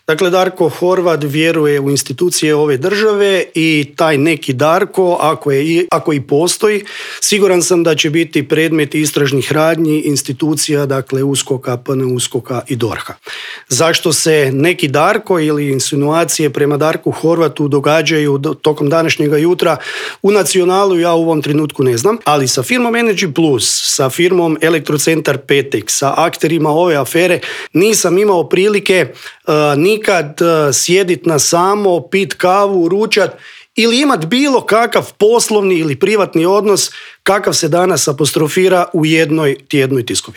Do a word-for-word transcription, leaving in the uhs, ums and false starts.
Dakle, Darko Horvat vjeruje u institucije ove države i taj neki Darko, ako, je, ako i postoji, siguran sam da će biti predmet istražnih radnji institucija, dakle USKOK-a, P N USKOK-a i D O R H-a. Zašto se neki Darko ili insinuacije prema Darku Horvatu događaju tokom današnjega jutra u Nacionalu, ja u ovom trenutku ne znam, ali sa firmom Energy Plus, sa firmom Elektrocentar Petek, sa akterima ove afere nisam imao prilike uh, nikad uh, sjedit na samo, pit kavu, ručat ili imat bilo kakav poslovni ili privatni odnos kakav se danas apostrofira u jednoj tjednoj tiskovini.